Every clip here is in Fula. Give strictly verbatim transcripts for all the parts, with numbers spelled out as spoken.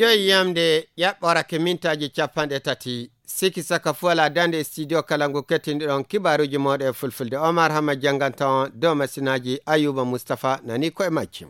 Yo yiyamde ƴaɓɓorake mintaaji capanɗe tati. Siki saka fuwala dande studio kala ngu kettinɗiɗon kibaaruuji mooɗo e fulfulde. Omar Hama jannganta on dow masinaaji Ayuba Mustafa nani ko e majji.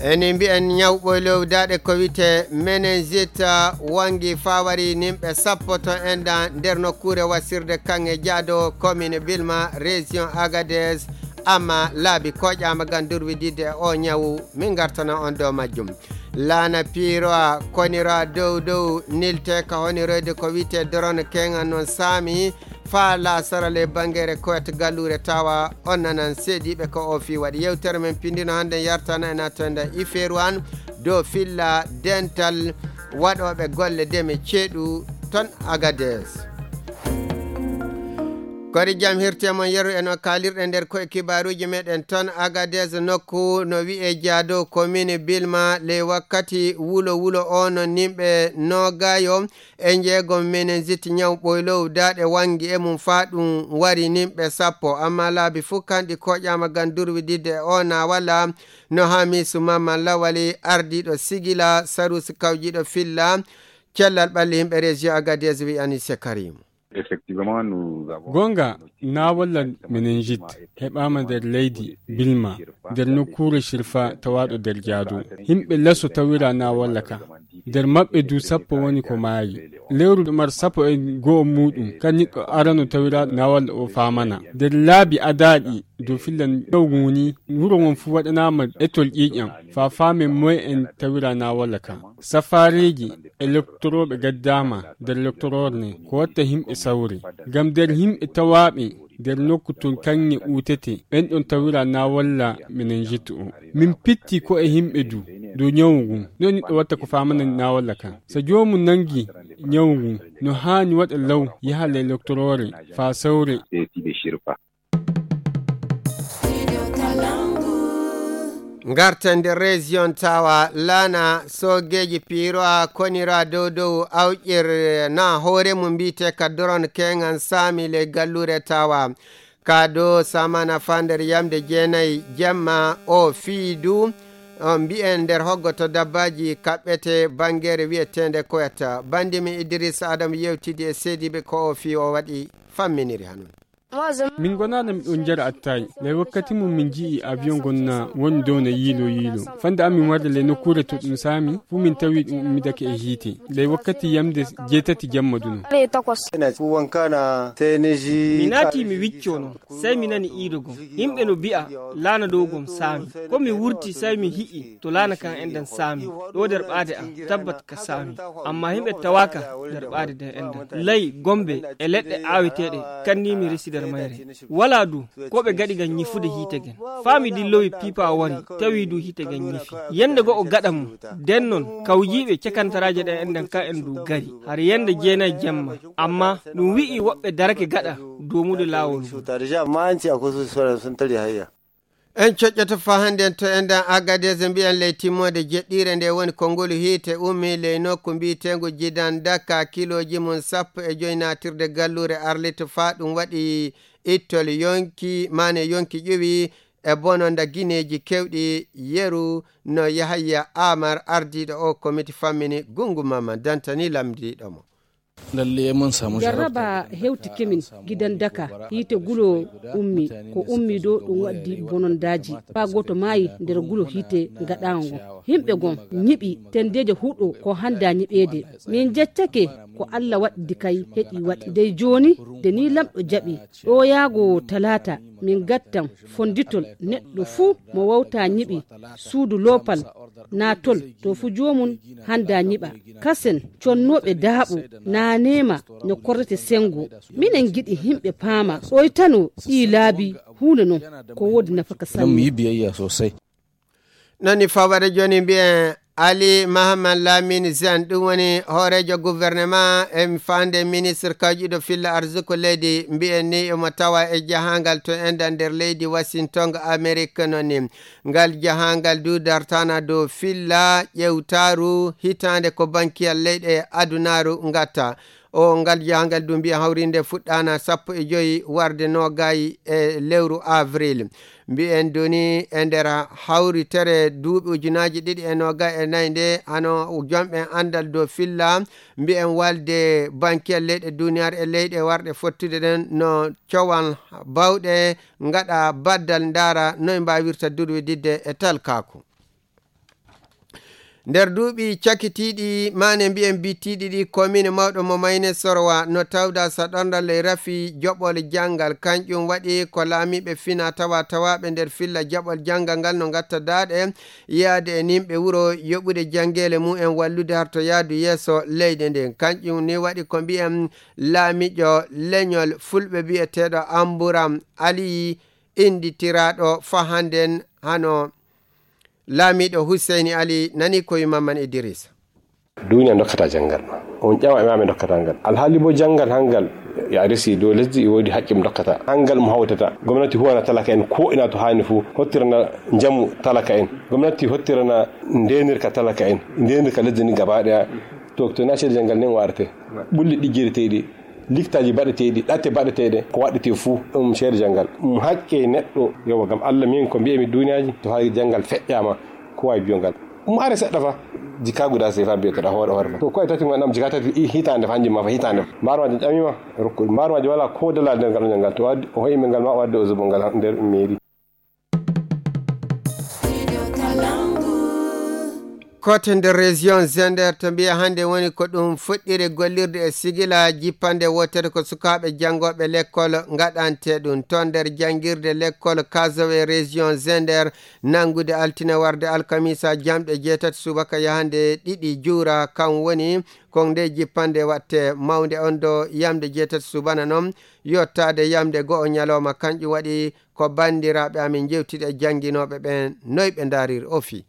Eni mbiyen ñaw ɓoylow daaɗe ko wiyte meningite, wangi fawari nimɓe sappo to enɗan nder nokkuure wasirde kaŋŋe jaado commune Bilma, région Agadez, amma laabi koƴaama ngam durwididde e o ñawu. Min ngartana on dow majjum. Laana piiroa konira dow dow nilte ka honiroyde ko wiyte drone keŋan non saami faa laasara ley bangeere koyat galluure tawa on nanan seediiɓe ko o fii waɗi. Yewtere men pindino hannde yartana e natonda ifeeru an dow filla dental waɗooɓe golle deme ceeɗu ton Agades. Kori jam hirte mon yeru en o kaalirɗe nder koye kibaaruuji meɗen ton Agades nokku no wi'e Jaado commune Bilma ley wakkati wulo wulo o no nimɓe noogayo e njeegom meningite ñaw ɓoylow daaɗe wangi e mum faa ɗum wari nimɓe sappo. Amma laabi fuu kanɗi koƴaama ngam durwididde e o naawala no Hamisu Mamman Lawali ardiiɗo Sigila Sarusi kawjiiɗo filla cellal ɓalli yimɓe région Agadez wi'ani Sekarimu. Effectivement, nous avons Gonga, naawalla meningite heɓaama nder leydi Bilma, nder nokkuure Shirfa tawaaɗo nder Jaado. Yimɓe laso tawira naawalla ka. Nder maɓɓe du sappo woni ko maayi. Lewru mar sappo e go'o muuɗum, kan niɗɗo arano tawira naawalla o faamana. Nder laabi adaaɗi dow fillan ɗowguni, wuro ngon fuu waɗanaama etol ƴiiƴam, faa faamen moye en tawira naawalla ka. Safaareeji e loktorooɓe gaddaama nder loktoroore nden, ko watta yimɓe sawre. Ngam nder yimɓe tawaaɓe nder nokku ton kaŋŋe uutete, ɓen ɗon tawira naawalla meningite o. Min pitti ko e yimɓe du dow ñawu ngun. No niɗɗo watta ko faamana naawalla kan. So joomum nangi ñawu ngun, no haani waɗa law yaha ley loktoroore faa sawre. Ngarten nder région tawa laana soogeeji piiroa konira dow dow awƴir na hoore mum mbiyte ka doron keŋan saami ley galluure tawa ka do samana faa nder yamde jeenayi jemma o fii du on mbi'en nder hoggoto dabbaaji kaɓɓete banngeere wi'eteende koyata. Banndi min Idrissa Adam yewtidi e seediiɓe ko o fii o waɗi famminiri hanun. Min gonaana miɗon njara attaay. Ley wakkati mum min nji'i avion ngon na woni dow na yiilo yiilo. Fande amin warde ley nokkuure to ɗum saami, fuu min tawi ɗum ummidake e hiite. Ley wakkati yamde jeetati jamma duno. Mi naati mi wicco non, sey mi nani iido gom. Yimɓe no bi'a laana dow gom saami. Ko mi wurti sey mi hi'i to laana kan enɗan saami. Ɗo nder ɓaade am, tabbat ka saami. Amma yimɓe tawaaka nder ɓaade den enɗan. Lay, gombe, e leɗɗe aaweteeɗe, kannii mi resi nder mayre. Walaa du, ko ɓe gaɗi ngam nyifude hiite gen. Faa mi dillowi piipa wari, tawi du hiite gen nyifi. Yende go'o gaɗa mum, den non, kawjiiɓe cakantaraaje ɗen enɗan ka en du gari. Har yende jeenay jemma. Amma, ɗum wi'i woɓɓe darake gaɗa, doomude laawol ngol. En coƴƴoto faa hannden to enɗan Agadez mbi'en ley timmoode jeɗɗiire nde woni ko ngolu hiite ummi ley nokku mbiyeteengu Jidan Daka kilooji mum sappo e joy naatirde galluure Arlit faa ɗum waɗi ittol yonki maane yonki ƴuwi e bononda gineeji kewɗi yeru no Yahaya Amar ardiiɗo o komiti fammini gungu mamma dantani lamdiiɗo mo. Jarraba hewtike min gidan daka hiite gulo ummi ko ummi do ɗum waddi bonondaaji faa gooto maayi nder gulo hiite gaɗaawo ngon. Himɓe gon nyiɓi tendeeje huɗo ko hannda nyiɓeede. Min jeccake ko Allah waɗdi kay heƴi waɗi dey jooni de ni lamɗo jaɓi ɗo yaago talaata min gattan fonditol neɗɗo fuu mo wawta nyiɓi suudu loopal naatol to fuu joomum hannda nyiɓa. Kasen connooɓe daaɓo naanema no korrete senngo. Minen ngiɗi yimɓe paama ɗoytano ɗii laabi huunde non ko woodi nafaka sanne. Nani fawade jooni mbiyen Ali Mahaman Lamine Zen ɗum woni hooreejo gouvernement e faande ministre kawƴiɗo filla arsuko leydi mbiyen ni omo tawa e jahangal to enɗan nder leydi Washington Amerique noon ni. Ngal jahangal du dartana dow filla ƴewtaaru hitaande ko bankiyal leyɗe adunaaru ngatta. O ngal jahangal du mbiya hawrinde fuɗɗaana sappo e joyi warde noogay e lewru avril. Mbiyen duni e nder hawritere duuɓi ujunaaji ɗiɗi e noogay e nayi nde, hano jomɓe anndal dow filla, mbiyen walde bankiyel leyɗe duniyaaru e leyɗe warɗe fottude ɗen no cowan bawɗe ngaɗa baddal ndaara noy mbaawirta durwididde e talkaaku. Nder duuɓi cakitiiɗi, maane mbiyen bittiiɗi ɗi, komiine mawɗo mo Mayne Sorwa no tawda saɗorndal ley rafi joɓol janngal. Kanƴum waɗi ko laamiiɓe fina tawa tawaaɓe nder filla jaɓol janngal ngal no ngatta daaɗe yaade e nimɓe wuro yoɓude janngeele mum en wallude harto yaadu yeeso leydi ndin. Kanƴum ni waɗi ko mbiyen laamiijo leñol Fulɓe biyeteeɗo Amburam Aliyi, innditiraaɗo fa hannden hano laamiiɗo Huseyni Ali nani ko wi Mamman Idrisa. Duniya dokkata janngal. On ƴawa e maɓe dokkata ngal. Alhaali bo janngal hangal ya resi dow lesdi, e woodi haqqe mo dokkata. Hangal mo hawtata. Gomnati huwana talaka en ko ina to haani fu. Hottirana njamu talaka en. Gomnati hottirana ndenirka talaka en. Ndenirka lesdi ni gaba ɗaya. To, to na ceede janngal nen warate. Ɓulli ɗiggireteeɗi. Liktaaji baɗeteeɗi, ɗatte baɗeteeɗe, ko waɗetee fuu, ɗum ceede janngal. Ɗum haqqe neɗɗo, yowa, ngam Allah, min ko mbiyami duniyaaji, to hay janngal feƴƴaama, ko waawi biyo ngal. Ɗum are seɗɗa fa, jikka guda sefa mbiyeteɗa hoore hoore ma. To koye tati ngon ɗam jikka tati i hitaande fa, hanjum ma fa hitaande fa. Mbaarmaaji ƴamima, rokku. Mbaarmaaji wala ko dala nder ngal janngal. To waddi, o hoymi ngal ma, o waddi o zubo ngal nder mairie. Kote nder région Zender to mbiya hannde woni ko ɗum fuɗɗire gollirde e sigila jippande wootere ko sukaaɓe janngooɓe lekkol ngaɗante ɗum. Toon nder janngirde lekkol Kazowe région Zender, nanngude altine warde alkamisa jamɗe jeetati subaka yahande ɗiɗi juura, kam woni ko nde jippande watte mawnde on do yamde jeetati subana noon yottaade yamde go'o ñalooma. Kanƴum waɗi ko banndiraaɓe amin njeewtida e jannginooɓe ɓeen, noy ɓe ndaariri ofi.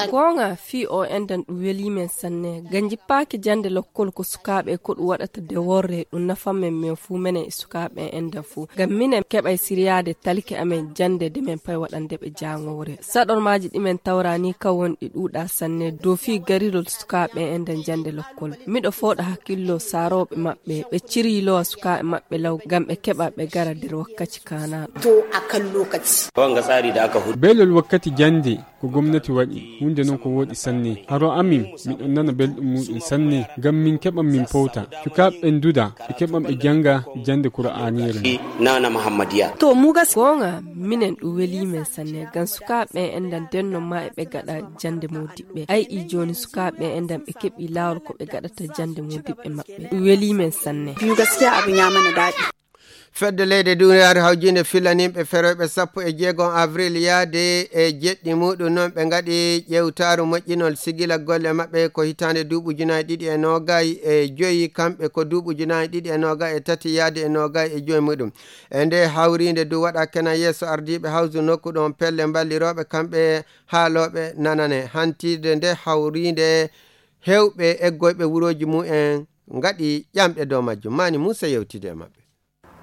Goonga, fii o enɗan ɗum welii men sanne. Ngam jippaaki jannde lokkol ko sukaaɓe, ko ɗum waɗata de worre, ɗum nafan men, men fuu, menen e sukaaɓe enɗan fuu. Ngam minen keɓay siryaade talike amen jannde de men pay waɗande ɓe jaangoore. Saɗormaaji ɗi men tawra ni ka won ɗi ɗuuɗaa sanne dow fii garirol sukaaɓe enɗan jannde lokkol. Miɗo fooɗa hakkillo saarooɓe maɓɓe, ɓe ciryilowa sukaaɓe maɓɓe law, ngam ɓe keɓa ɓe gara nder wakkaci kaanaaɗo. To a kan lokaci. Wanga tsari da aka hudu. Belol wakkati jannde ko gomnati waɗi, huunde non ko wooɗi sanne. Haro amin, miɗon nana belɗum muuɗum sanne, ngam min keɓan min powta. Sukaaɓe ɓen duda, ɓe keɓan ɓe jannga jannde Kur'aaniire. Nana Muhammadiya. To mu gas. Goonga, minen ɗum welii men sanne, ngam sukaaɓe enɗan denno ma e ɓe gaɗa jannde moodiɓɓe. Ay, i jooni sukaaɓe enɗan ɓe keɓii laawol ko ɓe gaɗata jannde moodiɓɓe maɓɓe. Ɗum welii men sanne. Biyu gaskiya abin ya mana daɗi. Fedde leyɗe duniyaaru hawjinde filaniiɓe ferooɓe sappo e jeegom avril yaade e jeɗɗi muuɗum noon ɓe ngaɗi ƴeewtaaru moƴƴinol sigila golle maɓɓe ko hitaande duuɓi ujunaaji ɗiɗi e noogay e joyi, kamɓe ko duuɓi ujunaaji ɗiɗi e noogay e tati yaade e noogay e joyi muuɗum. E nde hawriinde du waɗa kena yeeso ardiiɓe hawsu nokku ɗon pelle mballirooɓe kamɓe haalooɓe nanane. Hantirde nde hawriinde heewɓe eggoyɓe wurooji mumen ngaɗi ƴamɗe dow majjum. Mani Muusa yewtidi e maɓɓe.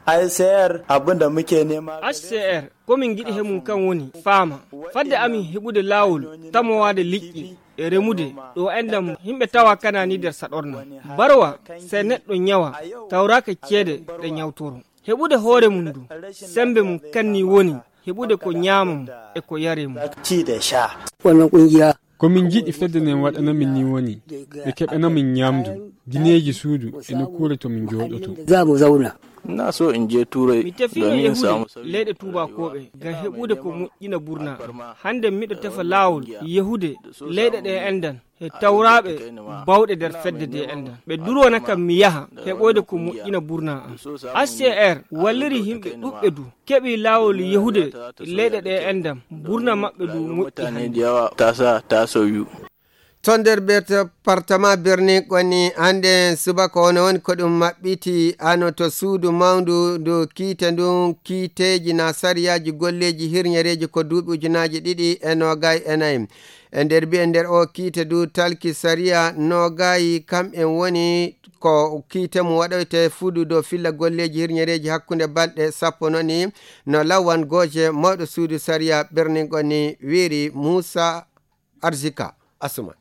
H C R, abin da muke nema gare su, H C R, ko min ngiɗi he mum kan woni faama. Fadde amin heɓude laawol tamowaade liƴƴi e remude ɗo enɗam yimɓe tawa kanani nder saɗorna. Barwa, se neɗɗo ñawa, tawraaka ceede ɗe ñawtoro. Heɓude hoore mum du, sembe mum kanni woni heɓude ko ñaama mum e ko yare mum. Ci da sha. Wannan kungiya. Ko min njiɗi fedde nden waɗana min ni woni, ɓe keɓana min ñaamdu, gineeji suudu e nokkuure to min jooɗoto. Za mu zauna. Na so in je Turai. Mi tefi domin in yehude samu sauki. Leyɗe tuubakooɓe ngam heɓude ko moƴƴina burna am. Hannde miɗo tefa laawol yehude leyɗe ɗe enɗan he tawraaɓe bawɗe nder fedde de enɗan. Ɓe durwana kam mi yaha heɓoyde ko moƴƴina burna am. H C R walliri yimɓe ɗuɓɓe du keɓi laawol yehude leyɗe ɗe enɗan, burna maɓɓe du moƴƴi hannde. Mutane da yawa ta sa ta sauyu. Ton nder département Birnin Kwanni, hannde subaka wano woni ko ɗum maɓɓiti hano to suudu mawndu ndu kiite ndun, kiiteeji na sariyaaji golleeji hirñereeji ko duuɓi ujunaaji ɗiɗi e noogay e nayi. E nder mbiye nder o kiite du talki sariya noogay, kam en woni ko kiite mum waɗoyte fudu dow filla golleeji hirñereeji hakkunde balɗe sappo noni, no Lawan Gooje, mawɗo suudu sariya Birnin Kwanni, wiiri Muusa Arzika Asuman.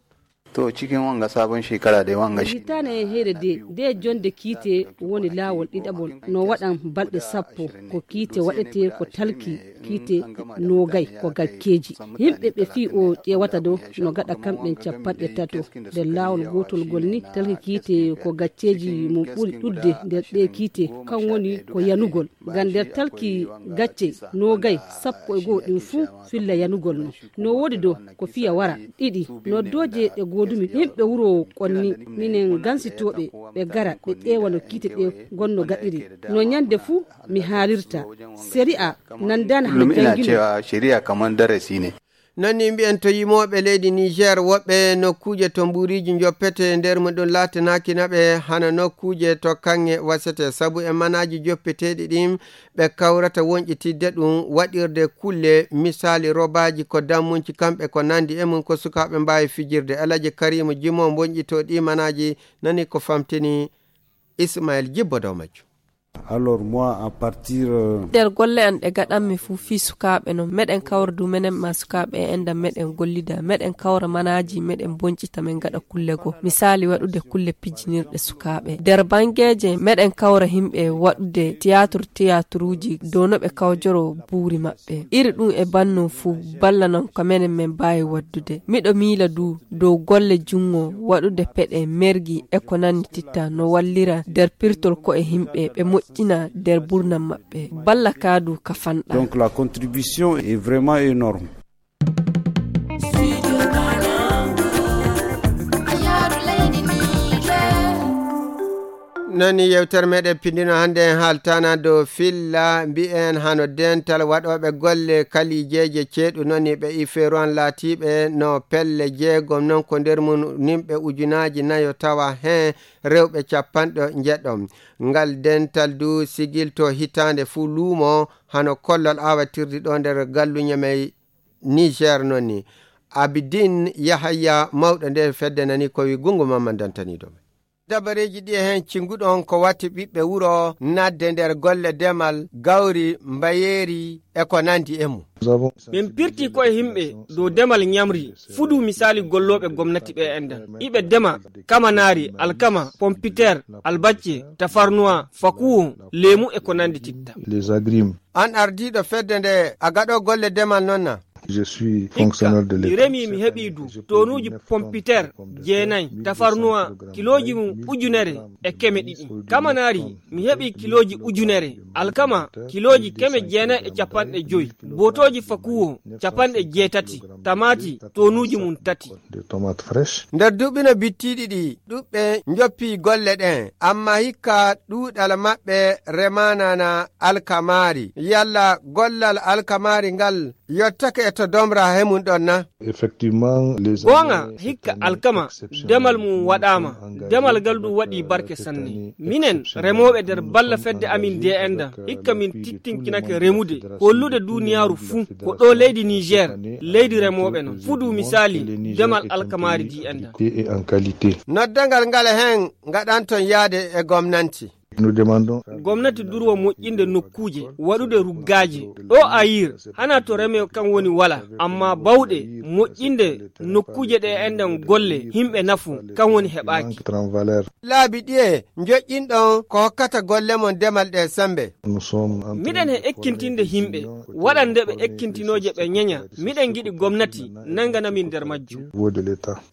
To cikin wanga sabon shekara dai wanga shi. Hitaane heyre de, de jonde kiite woni laawol ɗiɗaɓol. No waɗan balɗe sappo. Ko kiite waɗete ko talki kiite noogay ko gacceeji. Yimɓe ɓe fii o ƴeewata do no gaɗa kamɓen capanɗe tato. Nder laawol gootol gol ni talki kiite ko gacceeji mo ɓuri ɗuɗde nder ɗee kiite. Kan woni ko yanugol. Ngam nder talki gacce noogay sappo e goo ɗin fuu filla yanugol no. No woodi do ko fiya wara. Ɗiɗi, noddooje ɗe goodumi yimɓe wuro Konni, minen gansitooɓe ɓe gara ɓe ƴeewa no kiite ɗe gonno gaɗiri. No ñande fuu mi haalirta. Sariya nandaana hano janngino. Cewa shari'a kamar darasi ne. Non ni mbiyen to yimooɓe leydi Niger, woɓɓe nokkuuje to mbuuriiji njoppete, nder mum ɗum laatanaaki naɓe hano nokkuuje to kaŋŋe wasete, sabu e manaaji joppeteeɗi ɗin ɓe kawrata wonƴitidde ɗum waɗirde kulle, misaali robaaji ko dammunci kamɓe ko nandi e mum ko sukaaɓe mbaawi fijirde. Alaji Karimu Jimo wonƴitoo ɗi manaaji, nani ko famtini Ismail Jibbo dow majjum. Alors moi, à partir, euh, Nder golle an ɗe gaɗanmi fuu fii sukaaɓe non, meɗen kawra du menen maa sukaaɓe e enɗan meɗen gollida, meɗen kawra manaaji, meɗen bonƴita, men gaɗa kulle goo. Misaali waɗude kulle pijjinirɗe sukaaɓe. Nder bangeeje meɗen kawra yimɓe waɗude tiyaatur, tiyaaturuuji dow no ɓe kawjoroo buuri maɓɓe. Iri ɗum e banndum fuu ballanan ko menen men mbaawi waɗdude. Miɗo miila du dow golle junngo waɗude peɗe, mergi e ko nanndititta no wallira nder pirtol ko'e yimɓe ɓe moƴƴina nder mburnam maɓɓe. Balla kaa du ka fanɗa. Donc la contribution est vraiment énorme. Nani yewtere meɗen pindino hannde en haaltana dow filla mbi'en hano dental waɗooɓe golle kalijeeje ceeɗu noni ɓe iferuwan laatiiɓe no pelle jeegom non ko nder mum nimɓe ujunaaji nayo tawa heen rewɓe capanɗe njeɗɗo. Ngal dental du sigilto hitaande fuu luumo hano kollol awatirdi ɗo nder galluñe mey Niger noni. Abidin Yahaya mawɗo nde fedde nani ko wi gungu mamman dantani dow. Dabareeji ɗi e heen cinnguɗon ko watti ɓiɓɓe wuro, nadde nder golle demal, gawri, mbayeeri, e ko nandi e mum. Min pirti ko e yimɓe dow demal ñamri, fudu misaali gollooɓe gomnati ɓe enɗan. Iɓe dema kamanaari, alkama, pompiteer, albacce, tafarnuwa, fakuwo, leemu e ko nandi titta. Les agrimes. An ardiiɗo fedde nde a gaɗo golle demal non na? Je suis fonctionnaire de l'État. Hikka mi remi mi heɓi du tonuuji pompiteer jeenay, tafarnuwa kilooji mum ujunere e keme ɗiɗi. Kamanaari mi heɓi kilooji ujunere, alkama kilooji keme jeenay e capanɗe joy, bootooji fakuwo capanɗe jeetati, tamaati tonuuji mum tati. De tomates fraîches. Nder duuɓi no bittiiɗi ɗi, ɗuɓɓe njoppi golle ɗen, amma hikka ɗuuɗal maɓɓe remanana alkamaari. Yalla gollal alkamaari ngal yottake e to domra he mum ɗon na? Effectivement, les Goonga, années, hikka cette année alkama, exceptionnelle. Demal mum waɗaama. Engagé Demal ngal ɗum waɗi barke sanne. Minen remooɓe nder balla fedde amin D N D, hikka min tittinkinake remude, hollude duniyaaru fuu ko ɗo leydi Niger, leydi remooɓe non. Fudu misaali, demal alkamaari D N D. Et en qualité. Noddangal ngal heen ngaɗanton yaade e gomnanti. Nous demandons. Gomnati durwa moƴƴinde nokkuuje, waɗude ruggaaji. Ɗo Ayir, hana to reme kan woni wala, amma bawɗe moƴƴinde nokkuuje ɗe enɗan golle, yimɓe nafu, kan woni heɓaaki. Laabi ɗiye njoƴƴinɗon ko hokkata golle mon demal ɗe sembe? Nous sommes en train. Miɗen he ekkintinde yimɓe, waɗande ɓe ekkintinooje ɓe ñeña. Miɗen ngiɗi gomnati nangana min nder majjum.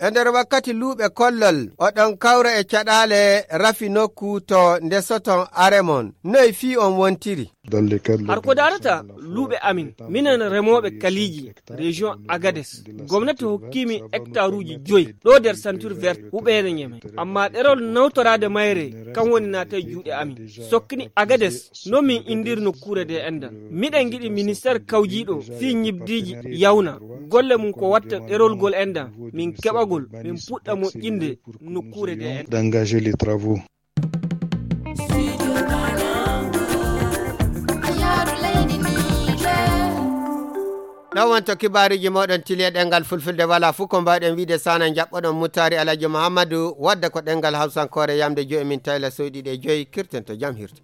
E nder wakkati luuɓe kollol, oɗon kawra e caɗaale rafi nokku to ndesoton are mon. Noy fii on wontiri? Har ko daarata luuɓe amin, minen remooɓe kaliiji, région Agadez, gomnati hokkiimi hectaruuji joy ɗo nder ceinture verte huɓeere Ñeme. Amma ɗerol nawtoraade mayre kan woni naata e juuɗe amin. Sokkini Agadez, no min indiri nokkuure nde enɗan. Miɗen ngiɗi ministeer kawjiiɗo fii ñibdiiji yawna golle mum ko watta ɗerol gol enɗan, min keɓagol, min puɗɗa moƴƴinde nokkuure nde enɗan. D'engager les travaux. Ɗon wonto kibaaruuji mooɗon tili e ɗemngal fulfulde, walaa fuu ko mbaawɗen wiide sana njaɓɓoɗon Mutaari Alhaji Muhammadu, wadda ko ɗemngal hawsankoore yamde joyi min tayla soyɗi ɗe joyi, kirten to jam hirte.